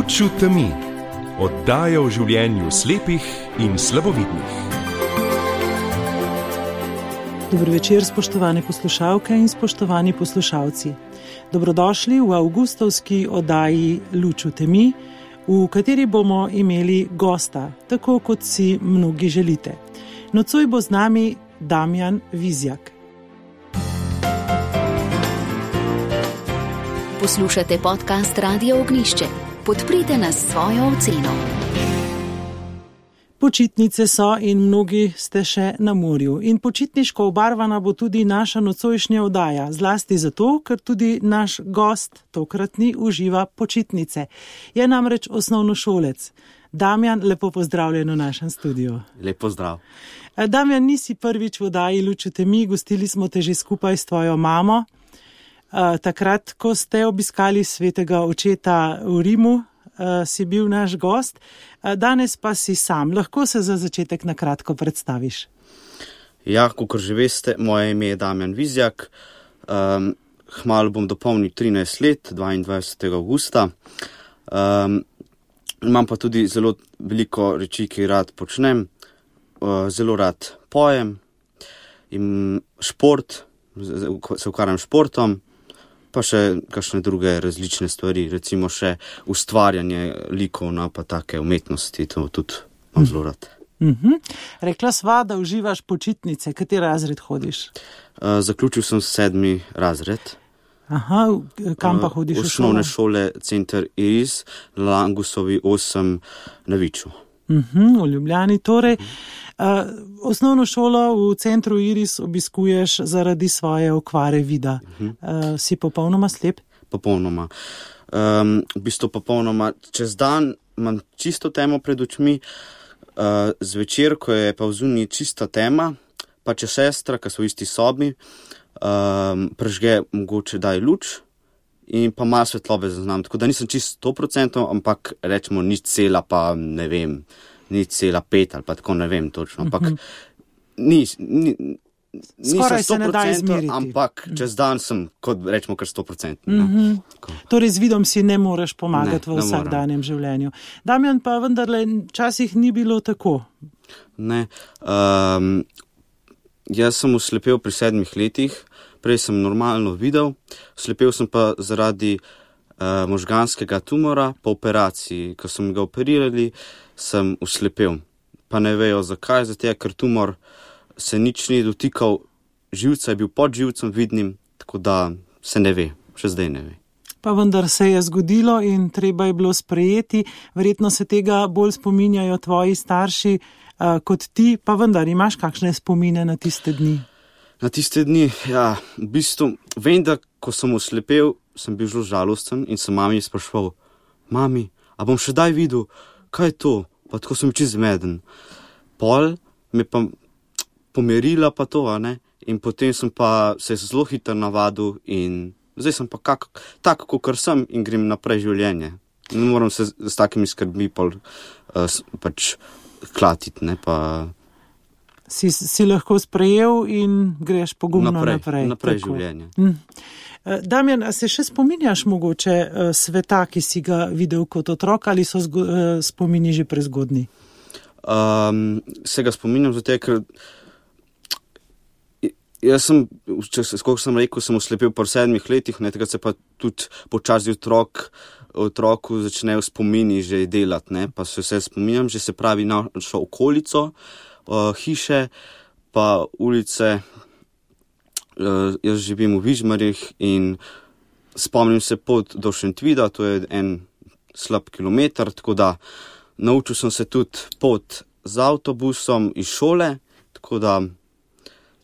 Luč v temi. Oddaja o življenju slepih in slabovidnih. Dober večer, spoštovane poslušalke in spoštovani poslušalci. Dobrodošli v avgustovski oddaji Luč v temi, v kateri bomo imeli gosta, tako kot si mnogi želite. Nocoj bo z nami Damjan Vizjak. Poslušate podcast Radio Ognjišče. Podprite nas s svojo oceno. Počitnice so in mnogi ste še na morju. In počitniško obarvana bo tudi naša nocojšnja oddaja. Zlasti zato, ker tudi naš gost tokratni uživa počitnice. Je namreč osnovnošolec. Damjan, lepo pozdravljen v našem studiu. Lep pozdrav. Damjan, nisi prvič v oddaji Luč v temi, gostili smo te že skupaj s tvojo mamo. Takrat, ko ste obiskali svetega očeta v Rimu, si bil naš gost. Danes pa si sam. Lahko se za začetek na kratko predstaviš? Ja, kakor že veste, moje ime je Damjan Vizjak. Kmalu bom dopolnil 13 let, 22. avgusta. Imam pa tudi zelo veliko reči, ki rad počnem. Zelo rad pojem in šport, se ukvarjam športom, pa še kakšne druge različne stvari, recimo še ustvarjanje likov, pa take umetnosti, to tudi imam zelo rad. Rekla sva, da uživaš počitnice. Kateri razred hodiš? Zaključil sem 7. razred. Aha, kam pa hodiš v šolo? Osnovne šole Center Iris, Langusovi 8 na Viču. V Ljubljani torej. Osnovno šolo v Centru Iris obiskuješ zaradi svoje okvare vida. Si popolnoma slep? Popolnoma. V bistvu popolnoma. Čez dan imam čisto temo pred očmi, zvečer, ko je pa vzunji čista tema, pa če sestra, ki so v isti sobi, prežge mogoče daj luč in pa malo svetlobe zaznam. Tako da nisem čisto 100%, ampak rečemo 0,5 pa ne vem, 0,5 ali pa tako ne vem točno. Ampak skoraj se ne da izmeriti. Ampak čez dan sem, kot rečemo, kar 100%. Torej z vidom si ne moreš pomagati v vsakdanjem življenju. Damjan, pa vendarle včasih ni bilo tako. Ne. Jaz sem oslepel pri 7 letih, prej sem normalno videl, oslepel sem pa zaradi možganskega tumora po operaciji. Ko sem ga operirali, sem oslepel. Pa ne vejo zakaj, zato ker tumor se nič ni dotikal živca, je bil pod živcem vidnim, tako da se ne ve, še zdaj ne ve. Pa vendar se je zgodilo in treba je bilo sprejeti. Verjetno se tega bolj spominjajo tvoji starši kot ti, pa vendar imaš kakšne spomine na tiste dni? Na tiste dni, ja, v bistvu vem, da ko sem oslepel, sem bil zelo žalosten in sem mami spraševal: mami, a bom še daj videl, kaj je to? Pa tako sem čist zmeden. Pol me pa pomerila pa to, in potem sem pa se zelo hitro navadil in zdaj sem pa tako, kakor sem in grem naprej življenje. Ne moram se s takimi skrbmi pač klatiti, pa... Si lahko sprejel in greš pogumno naprej. Naprej življenje. Damjan, a se še spominjaš mogoče sveta, ki si ga videl kot otrok, ali so spomini že prezgodni? Se ga spominjam, zato ker jaz sem, koliko sem rekel, sem oslepel po 7 letih, tega se pa tudi počasi otroku začnejo spomini že delati, pa se vse spominjam, že se pravi našo okolico, hiše, pa ulice. Jaz živim v Vižmarjih in spomnim se pot do Šentvida, to je en slab kilometer, tako da naučil sem se tudi pot z avtobusom iz šole, tako da,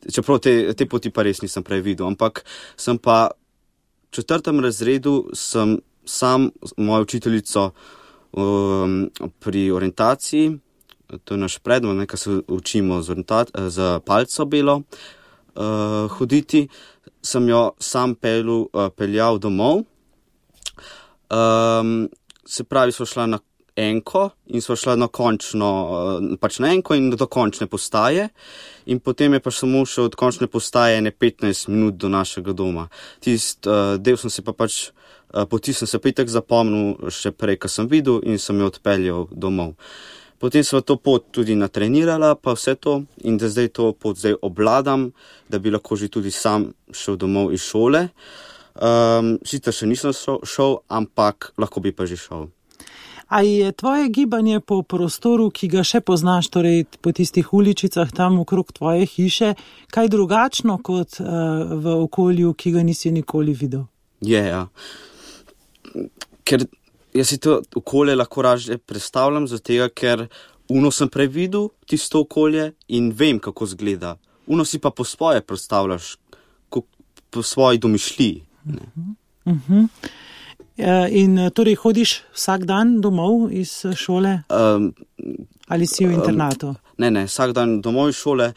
čeprav te poti pa res nisem prej videl, ampak sem pa v 4. razredu sem sam mojo učiteljico pri orientaciji, to je naš predmet, nekaj se učimo z palco belo hoditi, sem jo sam peljal domov. Se pravi, smo šla enko in sva šla na enko in do končne postaje in potem je pa samo še od končne postaje 15 minut do našega doma. Del sem se pa poti sem se pa itak zapomnil še prej, ko sem videl in sem jo odpeljal domov. Potem sva to pot tudi natrenirala, pa vse to in da zdaj to pot obvladam, da bi lahko že tudi sam šel domov iz šole. Sicer še nisem šel, ampak lahko bi pa že šel. A je tvoje gibanje po prostoru, ki ga še poznaš, torej po tistih uličicah tam okrog tvoje hiše, kaj drugačno kot v okolju, ki ga nisi nikoli videl? Ja. Ker jaz si to okolje lahko raje predstavljam, zato ker sem prej videl tisto okolje in vem, kako zgleda. Si pa po svoje predstavljaš, po svoji domišljiji. In torej hodiš vsak dan domov iz šole? Ali si v internatu? Ne, vsak dan domov iz šole,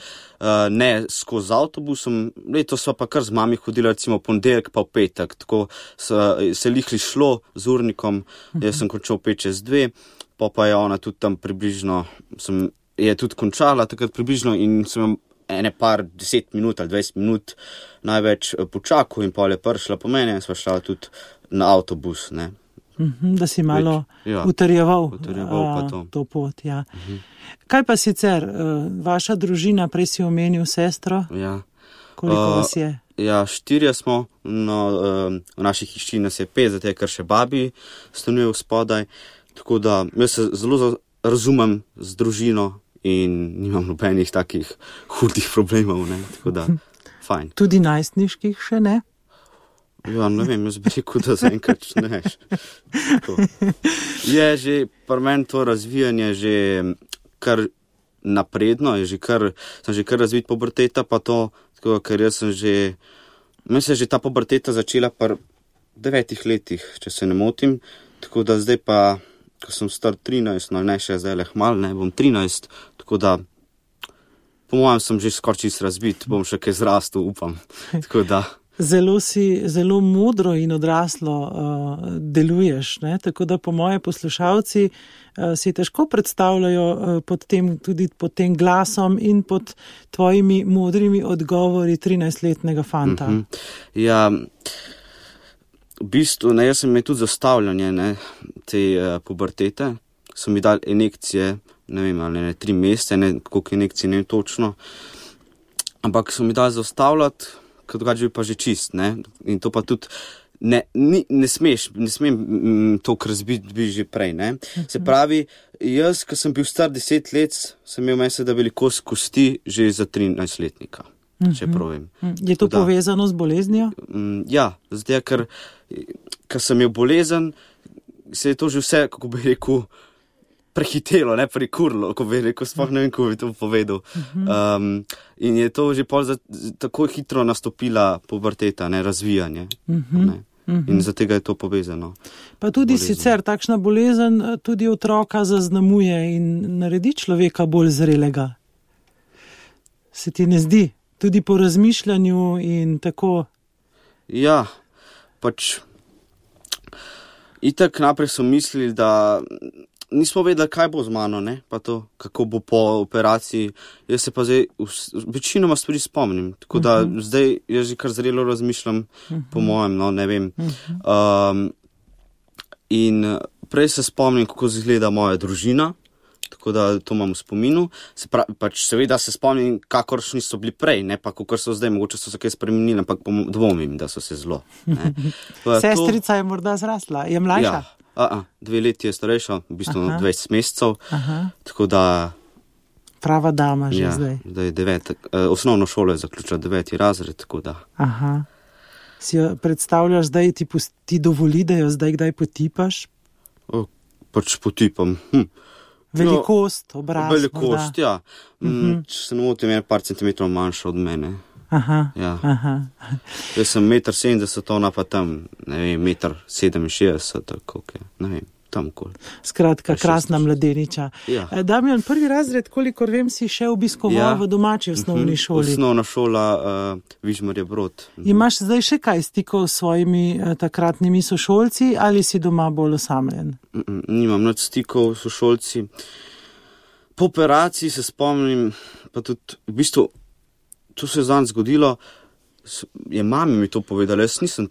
ne skozi avtobusom. Letos sva pa kar z mami hodila recimo ponedeljek pa v petek, tako se lihli šlo z urnikom, jaz sem končal 5:02, pa je ona tudi tam približno, je tudi končala takrat približno in sem par 10 minut ali 20 minut največ počakal in pol je prišla po mene in sva šla tudi na avtobus, ne. Da si malo utrjeval to pot, ja. Kaj pa sicer, vaša družina, prej si omenil sestro? Ja. Koliko vas je? Ja, 4 smo, v naši hiši nas je 5, zato je kar še babi stanuje spodaj, tako da jaz se zelo razumem z družino in nimam nobenih takih hudih problemov, ne, tako da, fajn. Tudi najstniških še ne? Ja, ne vem, jaz bi rekel, da zaenkrat ne. Je že pri meni to razvijanje že kar napredno, sem že kar razvit puberteta, pa to, tako, ker jaz sem meni se je že ta puberteta začela pri 9 letih, če se ne motim, tako da zdaj pa, ko sem star 13, no ne še zdaj hmal, ne, bom 13, tako da po mojem sem že skoraj čist razvit, bom še kaj zrastel, upam, tako da. Zelo modro in odraslo deluješ, ne? Tako da po moje poslušalci si težko predstavljajo tudi pod tem glasom in pod tvojimi modrimi odgovori 13-letnega fanta. Ja, v bistvu, ne, jaz sem imel tudi zastavljanje, ne, te pubertete, so mi dali injekcije, ne vem, ali ne 3 mesece, ne, koliko injekcij, ne točno, ampak so mi dali zastavljati, kot drugače bi pa že čist, ne, in to pa tudi ne smem toliko razbiti že prej, ne. Se pravi, jaz, ko sem bil star 10 let, sem imel mesec, da velikost kosti že za 13-letnika, če prav vem. Je to povezano z boleznijo? Ja, zdaj, ker sem imel bolezen, se je to že vse, kako bi rekel, prehitelo, ne prekurlo, ko bi rekel, sploh ne vem, ko bi to povedal. In je to že tako hitro nastopila puberteta, ne, razvijanje. Ne. In zato je to povezano. Pa tudi sicer takšna bolezen tudi otroka zaznamuje in naredi človeka bolj zrelega. Se ti ne zdi? Tudi po razmišljanju in tako. Ja, pač itak naprej so mislili, da nismo vedeli, kaj bo z mano, ne, pa to, kako bo po operaciji. Jaz se pa zdaj večinoma stvari spomnim, tako da zdaj jaz že kar zrelo razmišljam, po mojem, no, ne vem. In prej se spomnim, kako izgleda moja družina, tako da to imam v spominu. Pač seveda se spomnim, kakoršni so bili prej, ne pa kakor so zdaj, mogoče so se kaj spremenili, ampak dvomim, da so se zelo. Sestrica je morda zrasla, je mlajša? Ja. 2 leti je starejša, v bistvu 20 mesecev, tako da. Prava dama že zdaj. Da je 9, osnovno šolo je zaključila 9. razred, tako da. Si jo predstavljaš zdaj, ti dovoli, da jo zdaj kdaj potipaš? Pač potipam. Velikost, obraz. Velikost, ja. Če se ne motim, je par centimetrov manjša od mene. Jaz sem 1,70 m, ona pa tam, ne vem, 1,67 m, tako, ne vem, tamkoli. Skratka, krasna mladeniča. Ja. Damjan, prvi razred, kolikor vem, si še obiskoval v domači osnovni šoli. Osnovna šola Vižmarje Brod. Imaš zdaj še kaj stikov s svojimi takratnimi sošolci ali si doma bolj osamljen? Nimam nič stikov s sošolci. Po operaciji se spomnim, pa tudi v bistvu, to se je zanj zgodilo, je mami mi to povedala, jaz nisem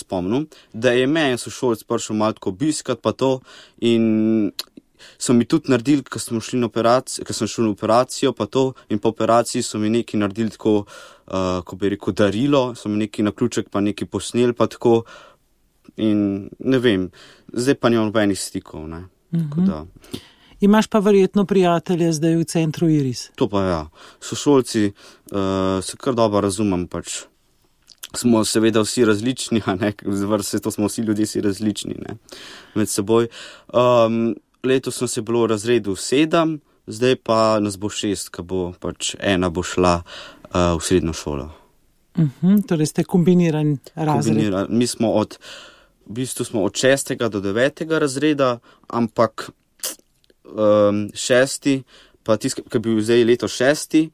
spomnil, da je me en sošolc prišel malo tako obiskat pa to in so mi tudi naredili, ko sem šel na operacijo pa to in po operaciji so mi nekaj naredili tako, ko bi rekel, darilo, so mi nekaj na ključek pa nekaj posneli pa tako in ne vem, zdaj pa nimam nobenih stikov, ne. Tako da. Imaš pa verjetno prijatelje zdaj v centru Iris. To pa ja. Sošolci se kar dobro razumem, pač. Smo seveda vsi različni, a ne, to smo vsi ljudje si različni, ne, med seboj. Letos sem se bilo v razredu 7, zdaj pa nas bo 6, ko bo pač ena bo šla v srednjo šolo. Torej ste kombiniran razred. Mi smo v bistvu smo od 6. do 9. razreda, ampak 6. pa tisti, ki je bil zdaj leto 6.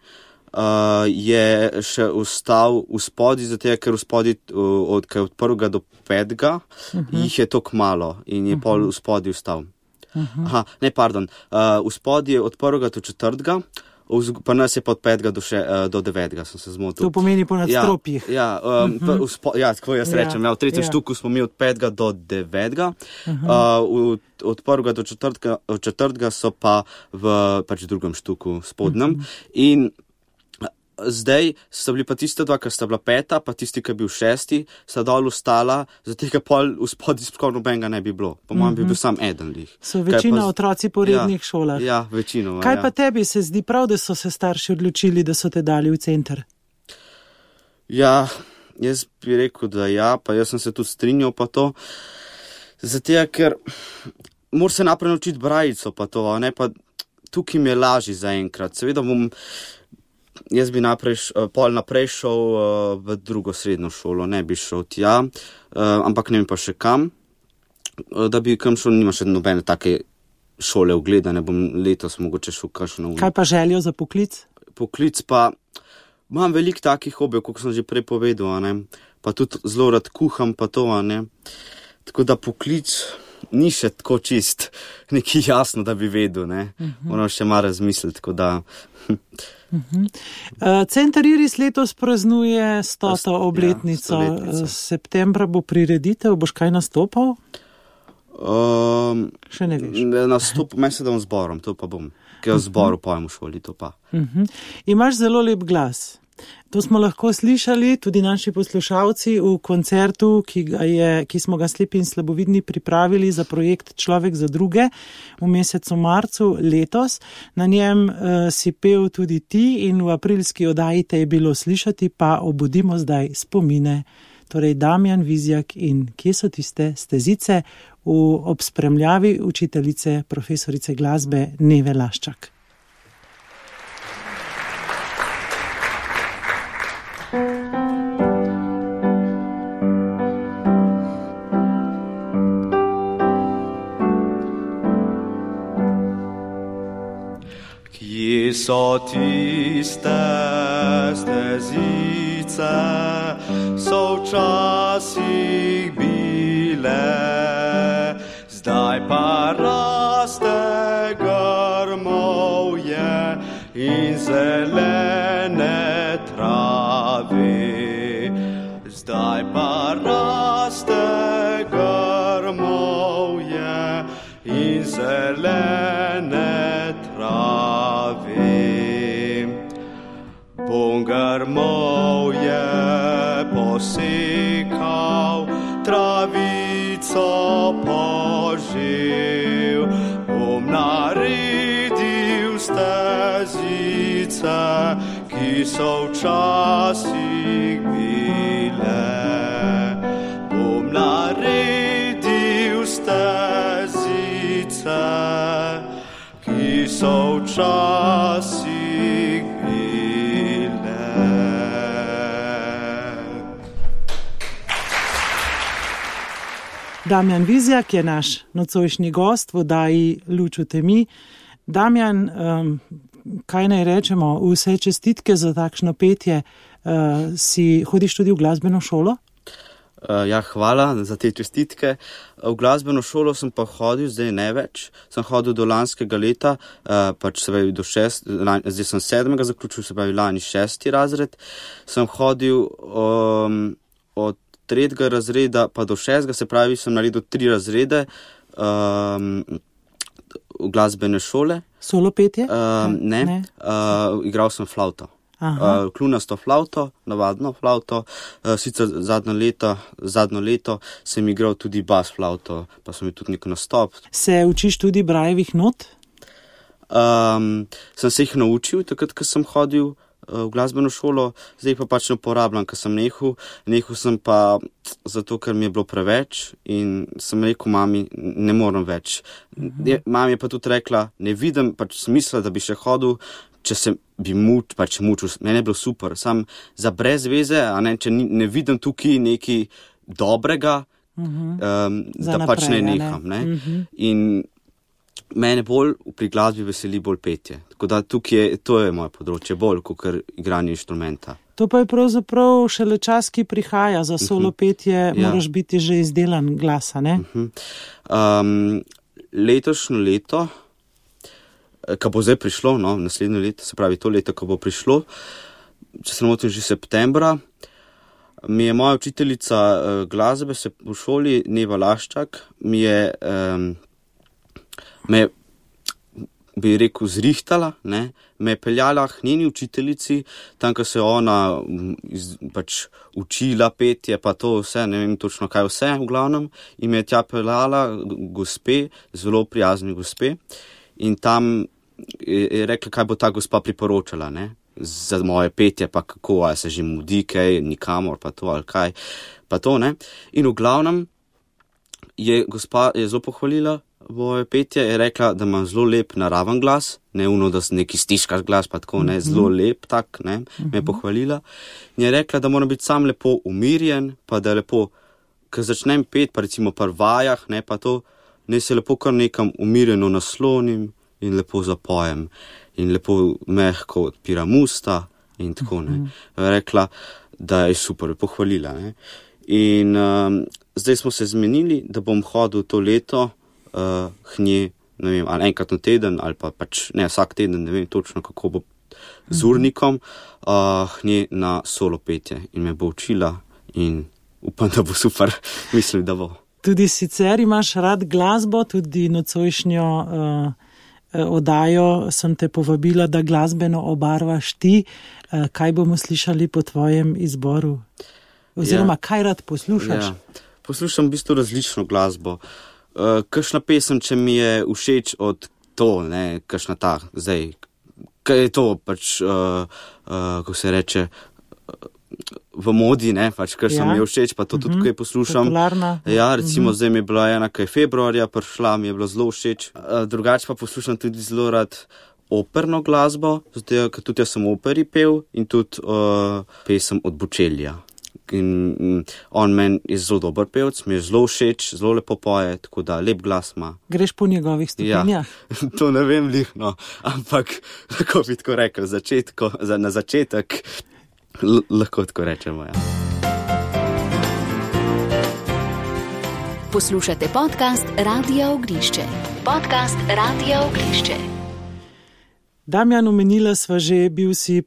Je še ostal v spodi, zato ker v spodi od 1. do 5. Jih je toliko malo in je pol v spodi ostal. V spodi je od 1. do 4. Pa nas je pa od 5. do 9. sem se zmotil. To pomeni po nadstropjih. Tako jaz rečem. V tretjem štuku smo mi od 5. do 9. Od 1. do 4. so pa v pač drugem štuku spodnjem. In zdaj sta bili pa tiste dva, ker sta bila 5, pa tisti, ki je bil 6, sta dol ostala, zato ker pol v spodi skoraj nobenega ne bi bilo. Po mojem bi bil sam eden lih. So večina otroci po rednih šolah. Ja, večinoma. Kaj pa tebi se zdi prav, da so se starši odločili, da so te dali v center? Ja, jaz bi rekel, da ja, pa jaz sem se tudi strinjal pa to. Zato, ker moraš se naprej naučiti brajico pa to, ne, pa tukaj mi je lažji zaenkrat. Seveda jaz bi pol naprej šel v drugo srednjo šolo, ne bi šel tja, ampak ne vem pa še kam, da bi kam šel, nima še nobene take šole ogledane, bom letos mogoče šel kakšno. Kaj pa željo za poklic? Poklic pa, imam veliko takih hobijev, kot sem že prej povedal, ne, pa tudi zelo rad kuham pa to, ne, tako da poklic ni še tako čist, nekaj jasno, da bi vedel, ne, moram še malo razmisliti, tako da. Center Iris letos praznuje 100. obletnico. Septembra bo prireditev, boš kaj nastopal? Še ne veš. Nastopam, se dam zborom, to pa bom. Ker v zboru pojem v šoli, to pa. Imaš zelo lep glas. To smo lahko slišali tudi naši poslušalci v koncertu, ki smo ga slepi in slabovidni pripravili za projekt Človek za druge v mesecu marcu letos. Na njem si pel tudi ti in v aprilski oddaji te je bilo slišati, pa obudimo zdaj spomine. Torej Damjan Vizjak in Kje so tiste stezice ob spremljavi učiteljice, profesorice glasbe Neve Laščak. Kje so tiste stezice, so včasih bile, zdaj pa raste grmovje in zelene trave. Zdaj pa raste grmovje in zelene trave. Bom grmovje posekal, travico požel, bom naredil stezice, ki so včasih bile. Bom naredil stezice, ki so včasih bile. Damjan Vizjak je naš nocojšnji gost v oddaji Luč v temi. Damjan, kaj naj rečemo, vse čestitke za takšno petje. Hodiš tudi v glasbeno šolo? Ja, hvala za te čestitke. V glasbeno šolo sem pa hodil, zdaj ne več. Sem hodil do lanskega leta, zdaj sem 7. zaključil, se pravi lani 6. razred. Sem hodil od 3. razreda pa do 6. se pravi, sem naredil 3 razrede v glasbene šole. Solo petje? Ne. Igral sem flavto. Klunasto flavto, navadno flavto, sicer zadnjo leto sem igral tudi bas flavto, pa sem imel tudi nek nastop. Se učiš tudi brajevih not? Sem se jih naučil, takrat, ko sem hodil v glasbeno šolo, zdaj pa pač ne uporabljam, ker sem nehal sem pa zato, ker mi je bilo preveč in sem rekel mami, ne morem več. Mami je pa tudi rekla, ne vidim pač smisla, da bi še hodil, če se bi mučil, meni je bilo super, sam za brez veze, če ne vidim tukaj nekaj dobrega, da pač ne neham. In mene bolj pri glasbi veseli bolj petje. Tako da tukaj to je moje področje, bolj kot igranje inštrumenta. To pa je pravzaprav šele čas, ki prihaja za solo petje, moraš biti že izdelan glasa, ne? Letošnjo leto, ko bo zdaj prišlo, naslednje leto, se pravi to leto, ko bo prišlo, če se ne motim že septembra, mi je moja učiteljica glasbe v šoli, Neva Laščak, me bi rekel zrihtala, me je peljala k njeni učiteljici, tam, ko se je ona pač učila petje, pa to vse, ne vem točno kaj vse, v glavnem, in me je tja peljala gospe, zelo prijazni gospe, in tam je rekla, kaj bo ta gospa priporočala, za moje petje, pa kako, ali se že mudi kaj, nikamor, pa to, ali kaj, pa to, In v glavnem je gospa zelo pohvalila moje petje, je rekla, da imam zelo lep naraven glas, ne da neki stiškaš glas, pa tako, zelo lep tak, me je pohvalila. In je rekla, da moram biti sam lepo umirjen, pa da je lepo, ko začnem pet, pa recimo pri vajah, pa to, ne se lepo kar nekam umirjeno naslonim in lepo zapojem in lepo mehko odpiram usta in tako, Rekla, da je super, pohvalila, In zdaj smo se zmenili, da bom hodil to leto k njej, ne vem, ali enkrat na teden, ali pa pač ne vsak teden, ne vem točno, kako bo z urnikom, k njej na solo petje in me bo učila in upam, da bo super, mislim, da bo. Tudi sicer imaš rad glasbo, tudi nocojšnjo oddajo sem te povabila, da glasbeno obarvaš ti. Kaj bomo slišali po tvojem izboru? Oziroma, kaj rad poslušaš? Poslušam v bistvu različno glasbo. Kakšna pesem, če mi je všeč od to, kakšna ta, zdaj, kaj je to, pač, kako se reče, v modi, pač, kar sem mi je všeč, pa to tudi kaj poslušam. Popularna. Recimo zdaj mi je bila ena, kaj februarja prišla, mi je bila zelo všeč. Drugače pa poslušam tudi zelo rad operno glasbo, zato ker tudi jaz sem operi pel in tudi pesem od Bočelija. In on meni je zelo dober pevc, mi je zelo všeč, zelo lepo poje, tako da lep glas ima. Greš po njegovih stopinjah? To ne vem lihno, ampak lahko bi tako rekel, na začetek lahko tako rečemo, Poslušate podcast Radia Ognišče. Damjan, omenila sva že, bil si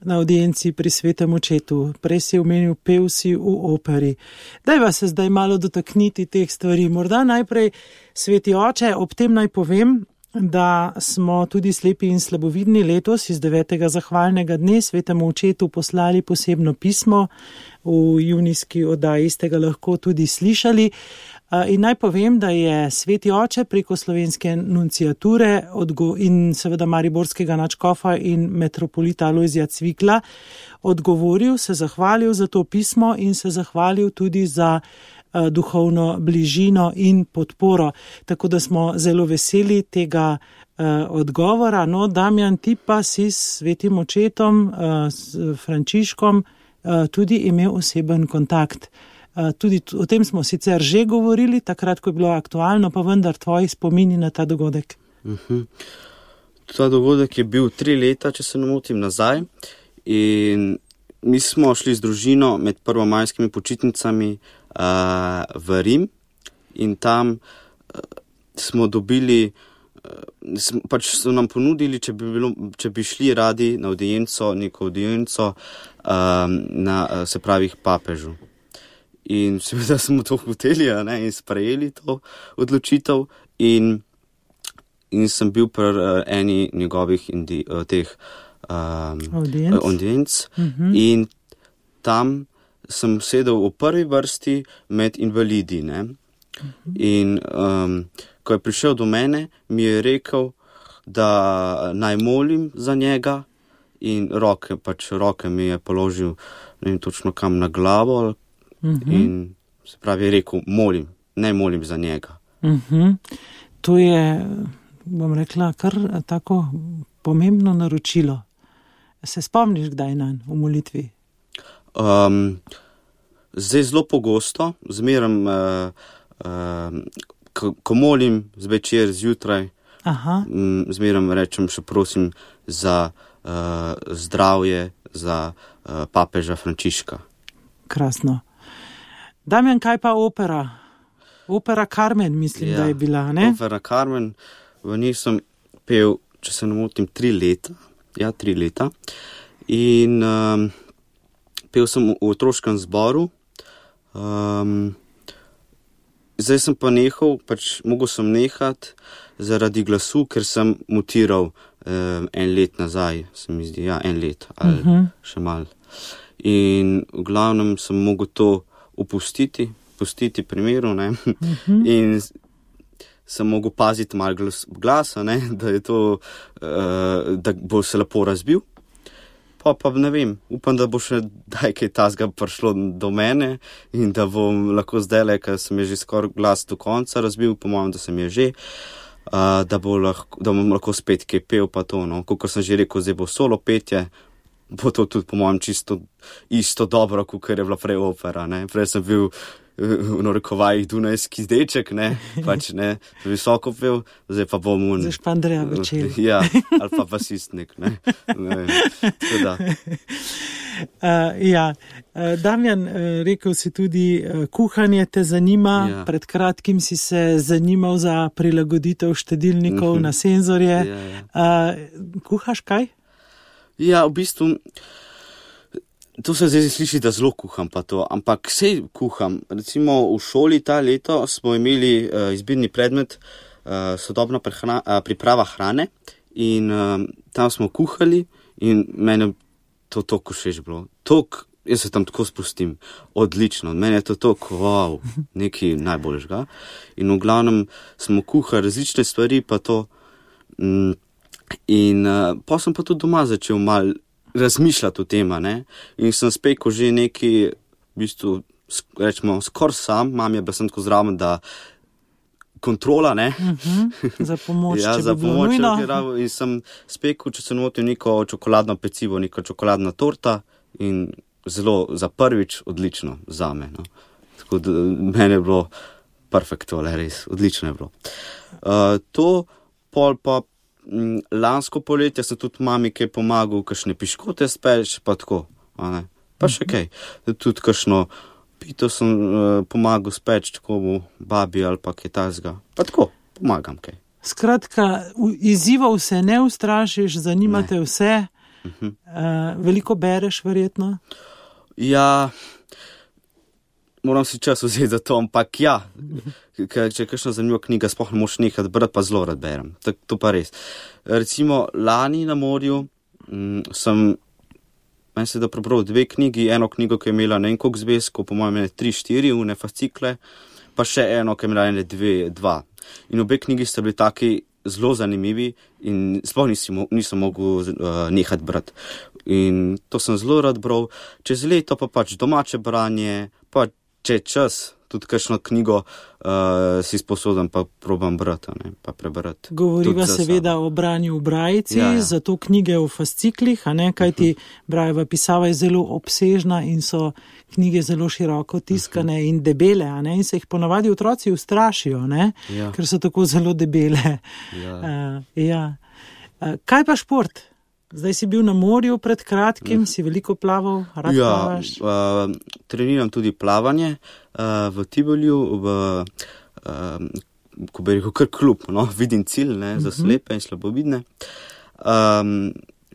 na audienci pri Svetem očetu, prej si omenil, pel si v operi. Dajva se zdaj malo dotakniti teh stvari. Morda najprej, Sveti oče, ob tem naj povem, da smo tudi slepi in slabovidni letos iz 9. zahvalnega dne Svetemu očetu poslali posebno pismo. V junijski oddaji ste ga lahko tudi slišali. In naj povem, da je Sveti oče preko slovenske nunciature in seveda mariborskega nadškofa in metropolita Alojzija Cvikla odgovoril, se zahvalil za to pismo in se zahvalil tudi za duhovno bližino in podporo. Tako da smo zelo veseli tega odgovora. No, Damjan, ti pa si s Svetim očetom, s Frančiškom, tudi imel oseben kontakt. Tudi o tem smo sicer že govorili, takrat, ko je bilo aktualno, pa vendar tvoji spomini na ta dogodek. Ta dogodek je bil 3 leta, če se ne motim, nazaj. In mi smo šli z družino med prvomajskimi počitnicami v Rim in tam smo dobili, pač so nam ponudili, če bi šli radi na neko audienco, se pravi papežu. In seveda smo to hoteli, in sprejeli to odločitev in sem bil pri eni njegovih audienc. In tam sem sedel v prvi vrsti med invalidi, ne. In ko je prišel do mene, mi je rekel, da naj molim za njega in roke mi je položil, ne vem točno kam, na glavo. In se pravi je rekel, naj molim za njega. To je, bom rekla, kar tako pomembno naročilo. Se spomniš kdaj nanj v molitvi? Zdaj zelo pogosto, zmeram, ko molim zvečer, zjutraj, zmeram rečem, še prosim za zdravje, za papeža Frančiška. Krasno. Damjan, kaj pa opera? Opera Carmen, mislim, da je bila, ne? Opera Carmen, v njej sem pel, če se ne motim, 3 leta. Ja, 3 leta. In pel sem v otroškem zboru. Zdaj sem pa nehal, mogel sem nehati zaradi glasu, ker sem mutiral 1 let nazaj, se mi zdi, 1 let ali še malo. In v glavnem sem mogel to pustiti primeru, ne, in sem mogel paziti malo glasa, ne, da je to, da bo se lepo razbil. Pa ne vem, upam, da bo še kaj tazga prišlo do mene in da bom lahko zdajle, ker sem je že skoraj glas do konca razbil, po mojem, da sem je že, da bom lahko spet kaj pel pa to, no. Kakor sem že rekel, zdaj bo solo petje, bo to tudi po mojem čisto isto dobro, kakor je bila prej opera, ne. Prej sem bil v narekovajih dunajski deček, ne, ne, visoko pel, zdaj pa bom Zdaj Špandreja Večer. Ja, ali pa basistnik, ne. Tako da. Damjan, rekel si tudi, kuhanje te zanima, pred kratkim si se zanimal za prilagoditev štedilnikov na senzorje. Kuhaš kaj? Ja, v bistvu, to se zdaj sliši, da zelo kuham pa to, ampak sej kuham. Recimo v šoli ta leto smo imeli izbirni predmet sodobna priprava hrane in tam smo kuhali in mene to toliko všeč bilo. Jaz se tam tako spustim, odlično, meni je to toliko, wow, nekaj najboljšega. In v glavnem smo kuhali različne stvari pa to in pa sem pa tudi doma začel malo razmišljati o tem, ne, in sem spekel že nekaj, v bistvu, rečemo, skoraj sam, mam je pa sem tako zraven, da kontrola, ne. Za pomoč, ja, če bi bilo nujno. In sem spekel, če se notim, neko čokoladno pecivo, neka čokoladna torta in zelo za prvič odlično zame, no. Tako da meni je bilo perfekto, res, odlično je bilo. To pol pa lansko poletje sem tudi mami kaj pomagal, kakšne piškote speč, pa tako, ne. Pa še kaj. Tudi kakšno pito sem pomagal speč, tako v babi ali pa kaj tazga. Pa tako, pomagam kaj. Skratka, izzivov se ne ustrašiš, zanimate vse. Veliko bereš, verjetno? Ja, moram si čas vzeti za to, ampak ja, ker če je kakšna zanimiva knjiga, sploh ne moš nekaj brati, pa zelo rad berem. To pa res. Recimo, lani na morju meni se da prebral 2 knjigi, eno knjigo, ki je imela ne vem koliko zvezkov, po mojem 3-4 une fascikle, pa še eno, ki je imela 2. In obe knjigi sta bili taki zelo zanimivi in sploh nisem mogel nehati brati. In to sem zelo rad bral. Čez leto pa pač domače branje, pa če je čas, tudi kakšno knjigo si sposoben, pa probam brati, ne, pa prebrati. Govoriva seveda o branju v brajici, zato knjige v fasciklih, a ne, kajti brajeva pisava je zelo obsežna in so knjige zelo široko tiskane in debele, a ne, in se jih ponavadi otroci ustrašijo, ne, ker so tako zelo debele. Kaj pa šport? Zdaj si bil na morju pred kratkim, si veliko plaval, rad plavaš? Treniram tudi plavanje v Tivoliju, ko bi rekel, kar klub, no, vidim cilj, ne, za slepe in slabovidne.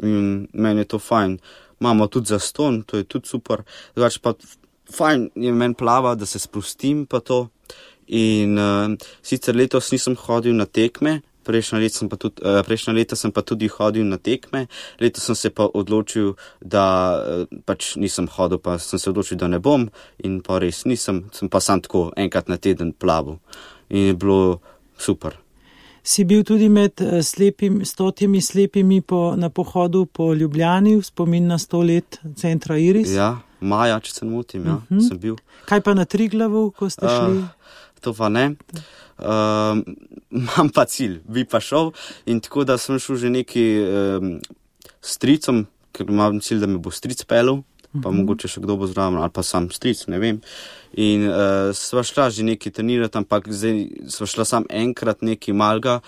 Meni je to fajn. Imamo tudi zaston, to je tudi super. Zdaj pa fajn je meni plava, da se sprostim pa to. In sicer letos nisem hodil na tekme, prejšnja leta sem pa tudi hodil na tekme, letos sem se pa odločil, da pač nisem hodil, pa sem se odločil, da ne bom in pa res nisem, sem pa sam tako enkrat na teden plaval in je bilo super. Si bil tudi med 100 slepimi na pohodu po Ljubljani v spomin na 100 let centra Iris? Ja, maja, če se ne motim, sem bil. Kaj pa na Triglavu, ko ste šli? To pa ne. Imam pa cilj, bi pa šel in tako, da sem šel že neki stricom, ker imam cilj, da me bo stric pelil, pa mogoče še kdo bo zraven, ali pa sam stric, ne vem. In sva šla že neki trenirati, ampak zdaj sva šla sam enkrat neki malga,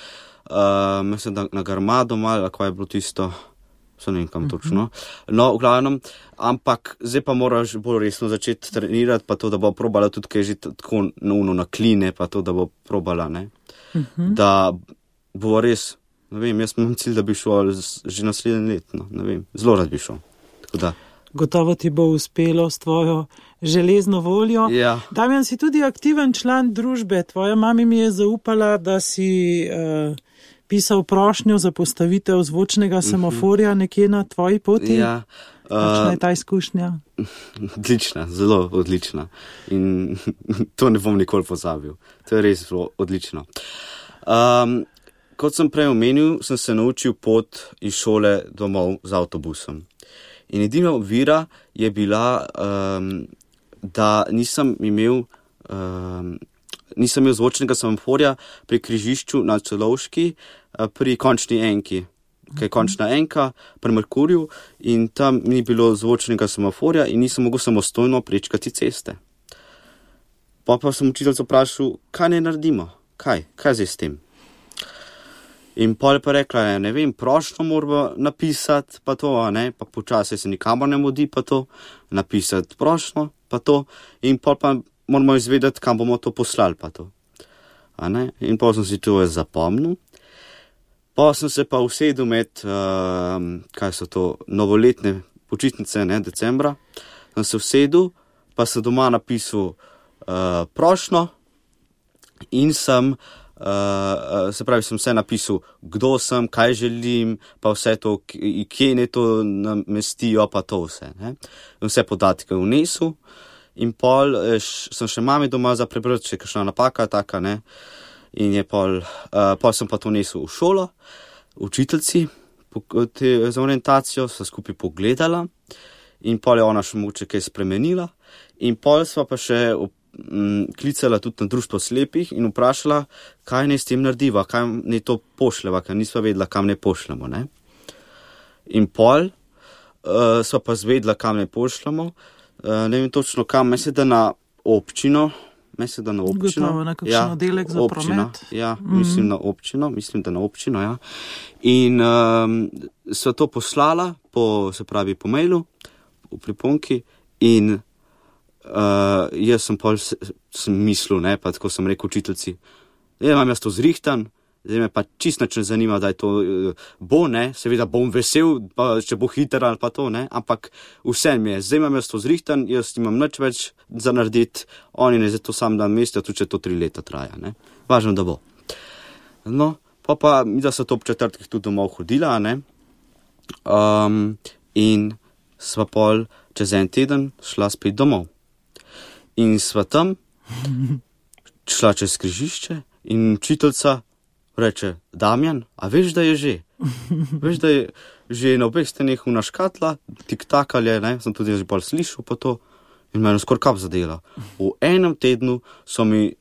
mislim, da na Garmado malga, kaj je bilo tisto, se ne vem kam točno. No, v glavnem, ampak zdaj pa moraš bolj resno začeti trenirati, pa to, da bo probala tudi kaj že tako na kline, pa to, da bo probala, ne. Da bo res, ne vem, jaz imam cilj, da bi šel že naslednje let, no, ne vem, zelo rad bi šel, tako da. Gotovo ti bo uspelo s tvojo železno voljo. Ja. Damjan, si tudi aktiven član družbe, tvoja mami mi je zaupala, da si pisal prošnjo za postavitev zvočnega semaforja nekje na tvoji poti. Ja. Kakšna je ta izkušnja? Odlična, zelo odlična. In to ne bom nikoli pozabil. To je res zelo odlično. Kot sem prej omenil, sem se naučil pot iz šole domov z avtobusom. In edina ovira je bila, da nisem imel zvočnega semaforja pri križišču na Celovški, pri končni enki. Kaj je končna enka pri Merkurju in tam ni bilo zvočnega semaforja in nisem mogel samostojno prečkati ceste. Pa sem učiteljico vprašal, kaj ne naredimo, kaj zdaj s tem. In pol pa rekla, ne vem, prošnjo moramo napisati, pa to, ne, pa počasi se nikamor ne mudi, pa to, napisati prošnjo, pa to, in pol pa moramo izvedeti, kam bomo to poslali, pa to. A ne, in pol sem si to zapomnil. Pa sem se pa usedel med, kaj so to, novoletne počitnice, ne, decembra, sem se usedel, pa sem doma napisal prošnjo in sem, se pravi, sem vse napisal, kdo sem, kaj želim, pa vse to, kje ne to namestijo, pa to vse, ne. In vse podatke vnesel in pol sem še mami doma za prebrati, če je kakšna napaka taka, ne. In je pol sem pa to nesel v šolo, učiteljici, za orientacijo, sva skupaj pogledala in pol je ona še mogoče kaj spremenila in pol sva pa še klicala tudi na društvo slepih in vprašala, kaj naj s tem narediva, kaj naj to pošljeva, ker nisva vedela, kam ne pošljemo, ne. In pol sva pa zvedla, kam ne pošljemo, ne vem točno kam, mislim, da na občino. Gotovo na kakšen oddelek za promet. Ja, mislim, da na občino, ja. In sva to poslala se pravi po mailu, v priponki in jaz sem mislil, ne, pa tako sem rekel učiteljici, imam jaz to zrihtan, zdaj me pa čisto nič ne zanima, da je to bo, ne, seveda bom vesel, pa če bo hiter ali pa to, ne, ampak vse mi je, zdaj imam jaz to zrihtan, jaz imam nič več za narediti, oni ne zdaj to sam dan mesta, tudi če to 3 leta traja, ne, važno, da bo. No, pa mi da so to ob četrtkih tudi domov hodila, ne, in sva pol čez en teden šla spet domov. In sva tam šla čez križišče in učiteljica reče, Damjan, a veš, da je že? Veš, da je že na obeh steneh una škatla, tik-tak ali je, ne, sem tudi že pol slišal pa to. in me je skoraj kap zadela. V enem tednu so mi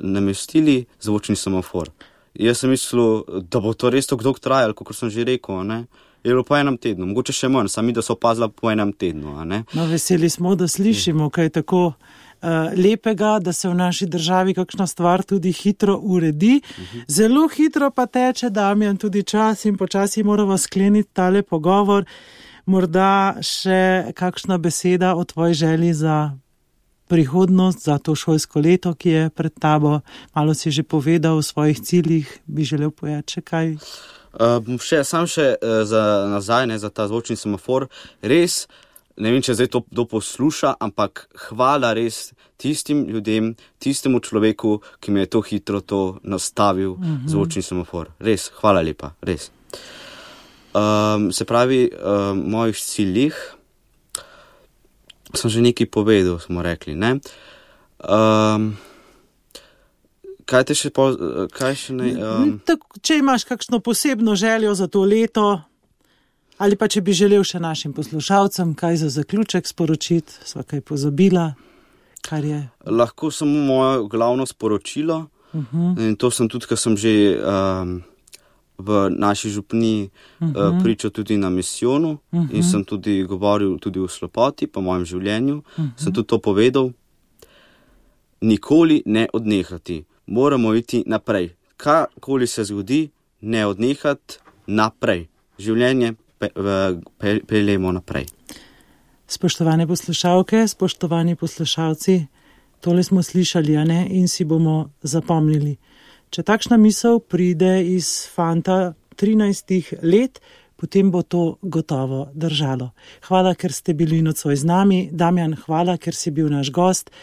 namestili zvočni semafor. Jaz sem mislil, da bo to res tako dolgo trajalo, kot sem že rekel, ne. Je bilo po enem tednu, mogoče še manj, sami da so opazila po enem tednu, ne. No, veseli smo, da slišimo, kaj je tako lepega, da se v naši državi kakšna stvar tudi hitro uredi. Zelo hitro pa teče, Damjan, tudi čas in počasi moramo skleniti tale pogovor. Morda še kakšna beseda o tvoji želji za prihodnost, za to šolsko leto, ki je pred tabo. Malo si že povedal o svojih ciljih, bi želel povedati še kaj? Sam še za nazaj, ne, za ta zvočni semafor. Res, ne vem, če zdaj to posluša, ampak hvala res tistim ljudem, tistemu človeku, ki mi je to hitro to nastavil, zvočni semafor. Res, hvala lepa, res. Se pravi, mojih ciljih sem že nekaj povedal, smo rekli, ne. Kaj še ne? Če imaš kakšno posebno željo za to leto, ali pa če bi želel še našim poslušalcem kaj za zaključek sporočiti, sva kaj pozabila, kar je? Lahko samo moje glavno sporočilo, in to sem tudi, ker sem že v naši župniji pričal tudi na misijonu in sem tudi govoril tudi o slepoti, po mojem življenju, sem tudi to povedal. Nikoli ne odnehati. Moramo iti naprej. Kakoli se zgodi, ne odnehati naprej. Življenje peljemo naprej. Spoštovane poslušalke, spoštovani poslušalci, tole smo slišali, a ne, in si bomo zapomnili. Če takšna misel pride iz fanta 13 let, potem bo to gotovo držalo. Hvala, ker ste bili nocoj z nami. Damjan, hvala, ker si bil naš gost.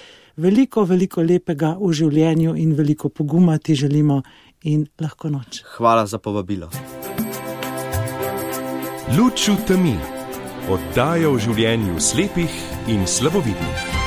Veliko, veliko lepega v življenju in veliko poguma ti želimo in lahko noč. Hvala za povabilo. Luč v temi. Oddaja o življenju slepih in slabovidnih.